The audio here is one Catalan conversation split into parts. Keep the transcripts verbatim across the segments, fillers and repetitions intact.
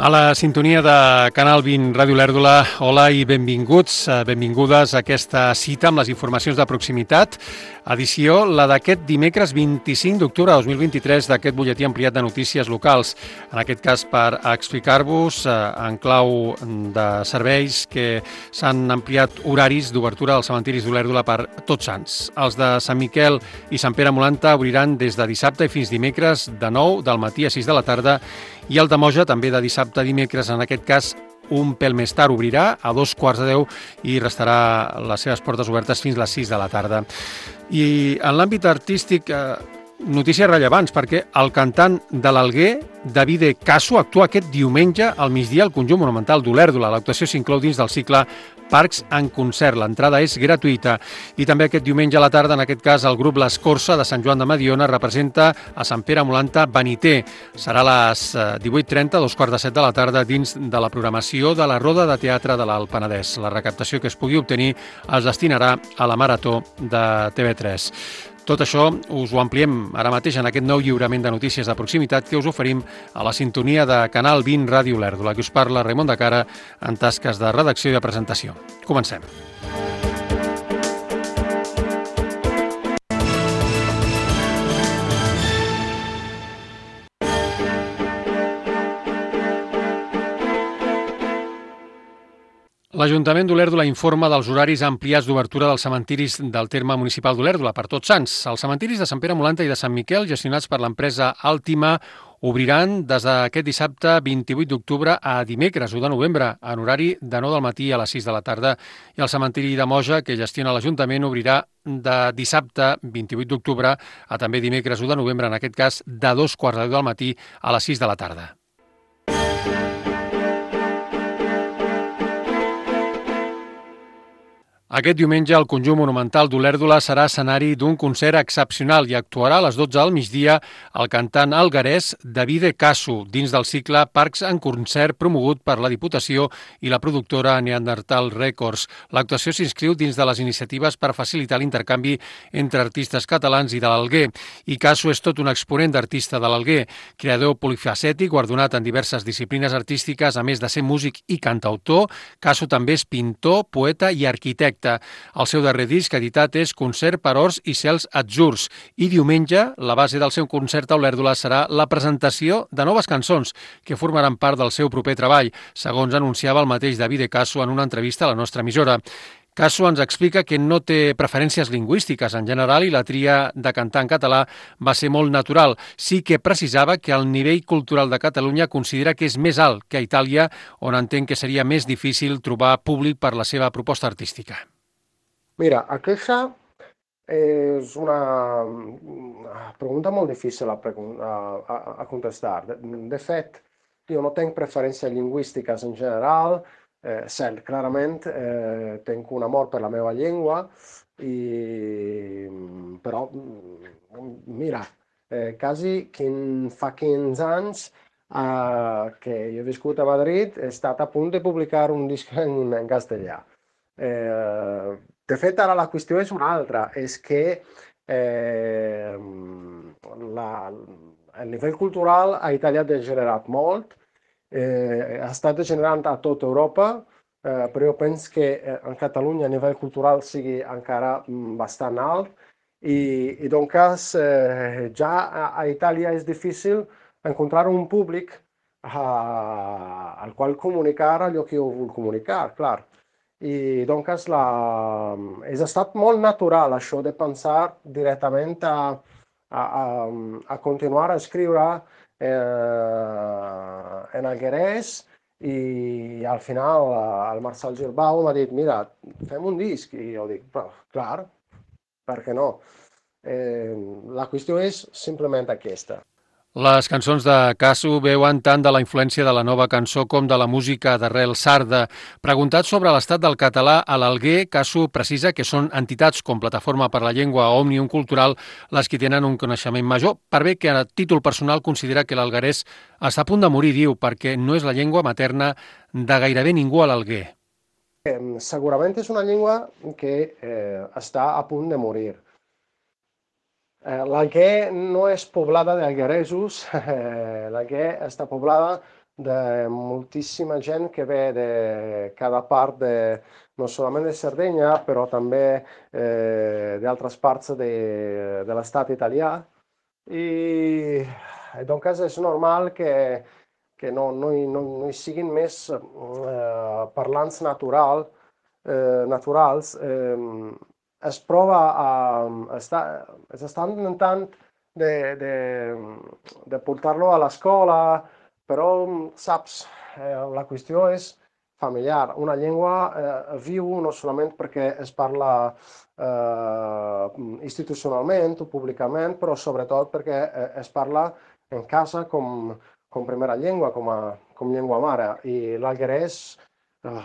A la sintonia de Canal vint Ràdio Lèrdula, hola i benvinguts, benvingudes a aquesta cita amb les informacions de proximitat, edició la d'aquest dimecres vint-i-cinc d'octubre de dos mil vint-i-tres d'aquest butlletí ampliat de notícies locals. En aquest cas per explicar-vos en clau de serveis que s'han ampliat horaris d'obertura als cementiris d'Olèrdola per Tots Sants. Els de Sant Miquel i Sant Pere Molanta obriran des de dissabte i fins dimecres de nou del matí a sis de la tarda i el de Moja també de dissabte a dimecres, en aquest cas un pèl més tard, obrirà a dos quarts de deu i restarà les seves portes obertes fins a les sis de la tarda. I en l'àmbit artístic, notícies rellevants, perquè el cantant de l'Alguer, Davide Casso, actua aquest diumenge al migdia al Conjunt Monumental d'Olèrdola. L'actuació s'inclou dins del cicle Parcs en concert. L'entrada és gratuïta. I també aquest diumenge a la tarda, en aquest cas, el grup L'Escorça de Sant Joan de Mediona representa a Sant Pere Molanta Beniter. Serà a les divuit trenta, dos quarts de set de la tarda, dins de la programació de la Roda de Teatre de l'Alt Penedès. La recaptació que es pugui obtenir es destinarà a la Marató de T V tres. Tot això us ho ampliem ara mateix en aquest nou lliurament de notícies de proximitat que us oferim a la sintonia de Canal vint Ràdio Lèrdula, que us parla Raimon de Cara en tasques de redacció i de presentació. Comencem. L'Ajuntament d'Olèrdola informa dels horaris ampliats d'obertura dels cementiris del terme municipal d'Olèrdola per Tots Sants. Els cementiris de Sant Pere Molanta i de Sant Miquel, gestionats per l'empresa Altima, obriran des d'aquest dissabte vint-i-vuit d'octubre a dimecres u de novembre, en horari de nou del matí a les sis de la tarda. I el cementiri de Moja, que gestiona l'Ajuntament, obrirà de dissabte vint-i-vuit d'octubre a també dimecres u de novembre, en aquest cas de dos quarts de deu del matí a les sis de la tarda. Aquest diumenge el Conjunt Monumental d'Olèrdola serà escenari d'un concert excepcional i actuarà a les dotze del migdia el cantant alguerès Davide Casso dins del cicle Parcs en concert promogut per la Diputació i la productora Neandertal Records. L'actuació s'inscriu dins de les iniciatives per facilitar l'intercanvi entre artistes catalans i de l'Alguer. I Casso és tot un exponent d'artista de l'Alguer, creador polifacètic, guardonat en diverses disciplines artístiques, a més de ser músic i cantautor. Casso també és pintor, poeta i arquitecte. El seu darrer disc editat és Concert per Horts i Cels Atzurs i diumenge la base del seu concert a Olèrdola serà la presentació de noves cançons que formaran part del seu proper treball, segons anunciava el mateix Davide Casso en una entrevista a la nostra emissora. Casso ens explica que no té preferències lingüístiques en general i la tria de cantar en català va ser molt natural. Sí que precisava que el nivell cultural de Catalunya considera que és més alt que a Itàlia, on entén que seria més difícil trobar públic per la seva proposta artística. Mira, aquesta és una pregunta molt difícil a, a, a contestar. De, de fet, jo no tinc preferències lingüístiques en general. Eh, cert, clarament eh, tinc un amor per la meva llengua, i, però mira, eh, quasi quin, fa quinze anys eh, que jo he viscut a Madrid, he estat a punt de publicar un disc en, en castellà. Eh, de fet, ara la qüestió és una altra, és que eh, la, el nivell cultural a Itàlia ha degenerat molt. Eh, ha estat degenerant a tota Europa, eh, però jo penso que eh, en Catalunya a nivell cultural sigui encara mm, bastant alt i, i doncs eh, ja a, a Itàlia és difícil encontrar un públic eh, al qual comunicar allò que jo vull comunicar, clar. I doncs la, és estat molt natural això de pensar directament a, a, a, a continuar a escriure Eh, en alguerès i al final el Marçal Girbau m'ha dit, mira, fem un disc, i jo dic, clar, per què no? Eh, la qüestió és simplement aquesta. Les cançons de Casso veuen tant de la influència de la nova cançó com de la música d'arrel sarda. Preguntat sobre l'estat del català a l'Alguer, Casso precisa que són entitats com Plataforma per la Llengua o Òmnium Cultural les que tenen un coneixement major, per bé que a títol personal considera que l'alguerès està a punt de morir, diu, perquè no és la llengua materna de gairebé ningú a l'Alguer. Eh, segurament és una llengua que eh, està a punt de morir. L'Alguer no és poblada d'algueresos, l'Alguer està poblada de moltíssima gent que ve de cada part, de, no solament de Sardenya, però també eh, d'altres parts de, de l'estat italià. I doncs és normal que, que no, no, hi, no, no hi siguin més eh, parlants natural, eh, naturals. Eh, es prova a... Està, s'està intentant de, de, de portar-lo a l'escola, però, saps, eh, la qüestió és familiar. Una llengua eh, viu no solament perquè es parla eh, institucionalment o públicament, però sobretot perquè eh, es parla en casa com, com primera llengua, com, a, com llengua mare. I l'alguerès eh,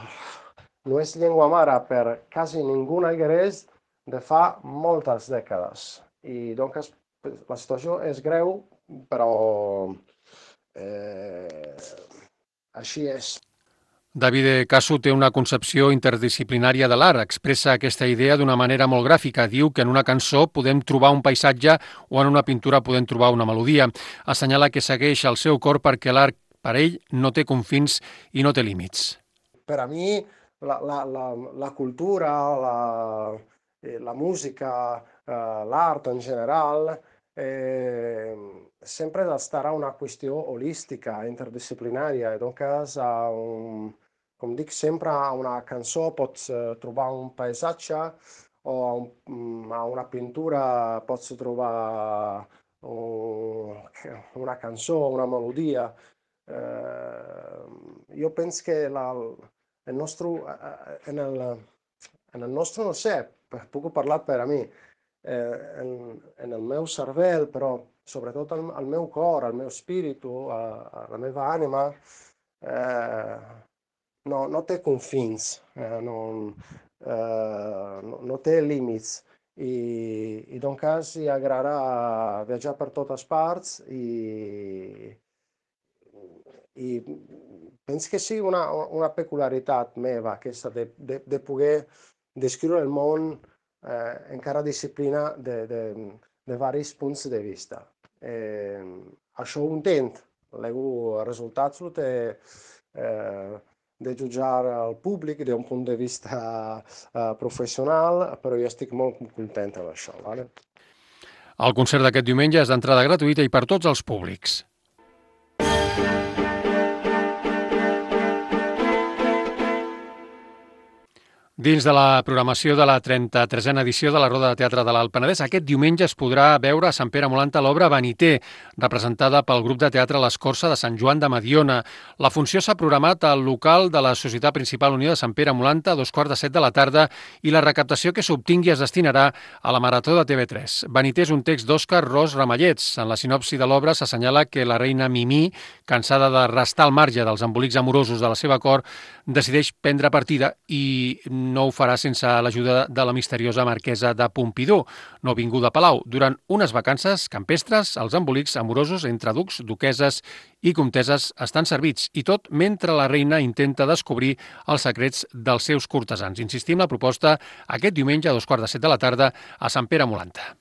no és llengua mare per quasi ningú alguerès de fa moltes dècades. I doncs la situació és greu, però eh, així és. Davide Casu té una concepció interdisciplinària de l'art. Expressa aquesta idea d'una manera molt gràfica. Diu que en una cançó podem trobar un paisatge o en una pintura podem trobar una melodia. Assenyala que segueix el seu cor perquè l'art, per ell, no té confins i no té límits. Per a mi, la, la, la, la cultura, la, la música, l'art en general, eh, sempre d'estar a una qüestió holística, interdisciplinària. Doncs, un, com dic sempre, a una cançó pots trobar un paisatge o a, un, a una pintura pots trobar un, una cançó, una melodia. Eh, jo penso que la, el nostre, en el, en el nostre, no sé, puc parlar per a mi, eh, en, en el meu cervell, però sobretot al, al meu cor, al meu espíritu, a, a la meva ànima, eh, no, no té confins, eh, no, eh, no, no té límits. I, i doncs hi agrada viatjar per totes parts i, i penso que sí una, una peculiaritat meva aquesta de, de, de poder descriure el món eh, en cada disciplina de, de, de diversos punts de vista. Eh, això ho intent, el resultat té eh, de jutjar el públic d'un punt de vista eh, professional, però jo estic molt content amb això. Vale? El concert d'aquest diumenge és d'entrada gratuïta i per tots els públics. Dins de la programació de la trenta-tresena edició de la Roda de Teatre de l'Alt Penedès, aquest diumenge es podrà veure a Sant Pere Molanta l'obra Vaniter, representada pel grup de teatre L'Escorça de Sant Joan de Mediona. La funció s'ha programat al local de la Societat Principal Unió de Sant Pere Molanta a dos quarts de set de la tarda i la recaptació que s'obtingui es destinarà a la Marató de T V tres. Vaniter és un text d'Òscar Ros Ramallets. En la sinopsi de l'obra s'assenyala que la reina Mimí, cansada de restar al marge dels embolics amorosos de la seva cort, decideix prendre partida i no ho farà sense l'ajuda de la misteriosa marquesa de Pompidou, no vinguda a Palau. Durant unes vacances campestres, els embolics amorosos entre ducs, duqueses i comteses estan servits, i tot mentre la reina intenta descobrir els secrets dels seus cortesans. Insistim, la proposta aquest diumenge a dos quarts de set de la tarda a Sant Pere Molanta.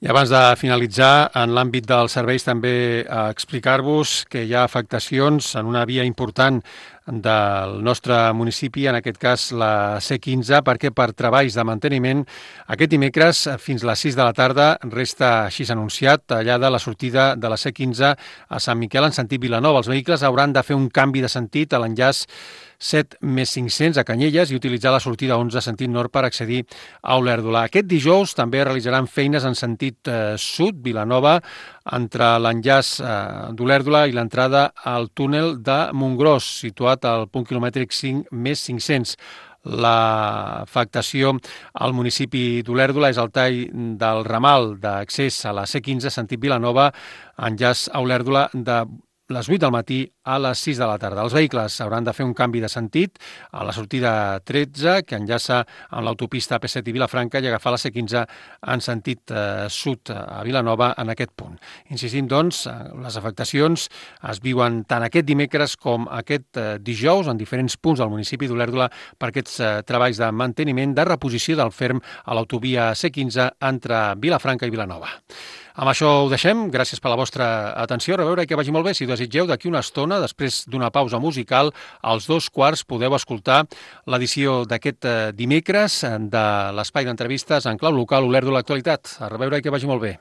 I abans de finalitzar, en l'àmbit dels serveis també explicar-vos que hi ha afectacions en una via important del nostre municipi, en aquest cas la C quinze, perquè per treballs de manteniment aquest dimecres fins a les sis de la tarda resta així anunciat, tallada la sortida de la C quinze a Sant Miquel en sentit Vilanova. Els vehicles hauran de fer un canvi de sentit a l'enllaç set més cinc-cents a Canyelles i utilitzar la sortida onze sentit nord per accedir a Olèrdola. Aquest dijous també realitzaran feines en sentit eh, sud, Vilanova, entre l'enllaç eh, d'Olèrdola i l'entrada al túnel de Montgròs, situat al punt quilomètric cinc més cinc-cents. L'afectació al municipi d'Olèrdola és el tall del ramal d'accés a la C quinze sentit Vilanova, enllaç a Olèrdola de les vuit del matí a les sis de la tarda. Els vehicles hauran de fer un canvi de sentit a la sortida tretze, que enllaça amb l'autopista A P set i Vilafranca, i agafar la C quinze en sentit eh, sud a Vilanova en aquest punt. Insistim, doncs, les afectacions es viuen tant aquest dimecres com aquest eh, dijous en diferents punts del municipi d'Olèrdola per aquests eh, treballs de manteniment de reposició del ferm a l'autovia C quinze entre Vilafranca i Vilanova. Amb això ho deixem. Gràcies per la vostra atenció. A reveure i que vagi molt bé. Si ho desitgeu, d'aquí una estona, després d'una pausa musical, als dos quarts podeu escoltar l'edició d'aquest dimecres de l'Espai d'Entrevistes en clau local Olèrdola Actualitat. A reveure i que vagi molt bé.